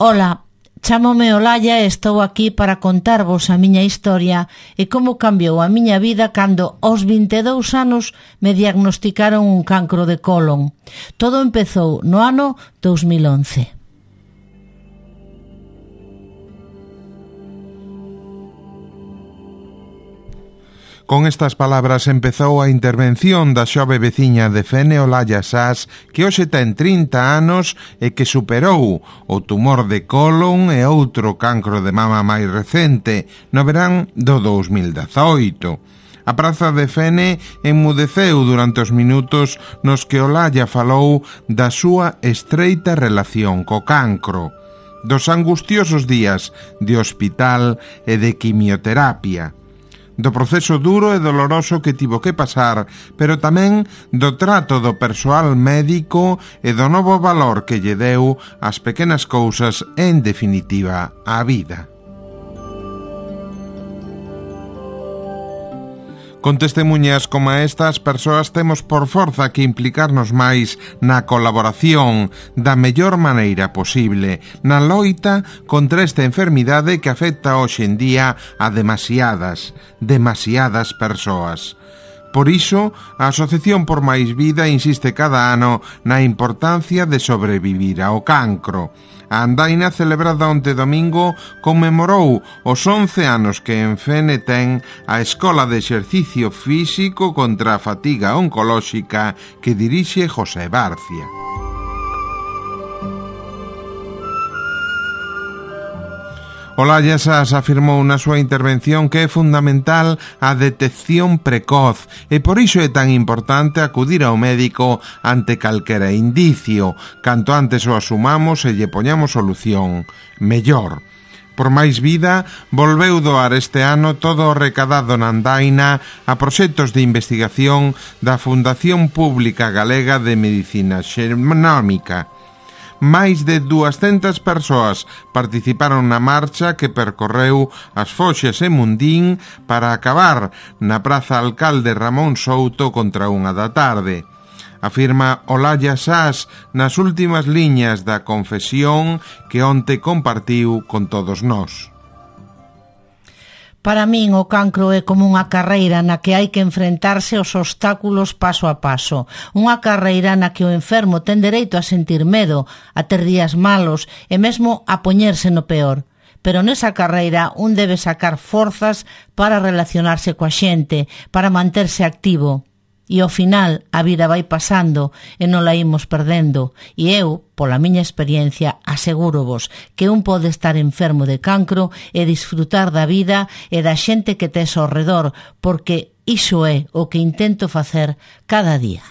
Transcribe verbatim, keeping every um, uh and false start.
Ola, chámome Olalla e estou aquí para contarvos a miña historia e como cambiou a miña vida cando aos vinte e dous anos me diagnosticaron un cancro de colon. Todo empezou no ano dos mil once. Con estas palabras empezou a intervención da xove veciña de Fene, Olalla Sás, que hoxe ten trinta anos e que superou o tumor de colon e outro cancro de mama máis recente no verán do dos mil dezaoito. A praza de Fene enmudeceu durante os minutos nos que Olalla falou da súa estreita relación co cancro, dos angustiosos días de hospital e de quimioterapia, do proceso duro e doloroso que tivo que pasar, pero tamén do trato do persoal médico e do novo valor que lle deu ás pequenas cousas e, en definitiva, á vida. Con testemunhas como estas, persoas temos por forza que implicarnos máis na colaboración da mellor maneira posible, na loita contra esta enfermidade que afecta hoxe en día a demasiadas, demasiadas persoas. Por iso, a Asociación por Máis Vida insiste cada ano na importancia de sobrevivir ao cancro. A andaina celebrada onte domingo conmemorou os once anos que en Fene ten a Escola de Exercicio Físico contra a Fatiga Oncolóxica que dirixe José Barcia. Olalla Sás afirmou na súa intervención que é fundamental a detección precoz e por iso é tan importante acudir ao médico ante calquera indicio. Canto antes o asumamos e lle poñamos solución, mellor. Por Máis Vida volveu doar este ano todo o recadado na andaina a proxectos de investigación da Fundación Pública Galega de Medicina Xenómica. Máis de duascentas persoas participaron na marcha que percorreu as Foxes e Mundín para acabar na Praza Alcalde Ramón Souto contra unha da tarde. Afirma Olalla Sás nas últimas liñas da confesión que onte compartiu con todos nós. Para min o cancro é como unha carreira na que hai que enfrentarse aos obstáculos paso a paso. Unha carreira na que o enfermo ten dereito a sentir medo, a ter días malos e mesmo a poñerse no peor. Pero nesa carreira un debe sacar forzas para relacionarse coa xente, para manterse activo. E ao final a vida vai pasando e non la imos perdendo. E eu, pola miña experiencia, asegúrovos que un pode estar enfermo de cancro e disfrutar da vida e da xente que tes ao redor, porque iso é o que intento facer cada día.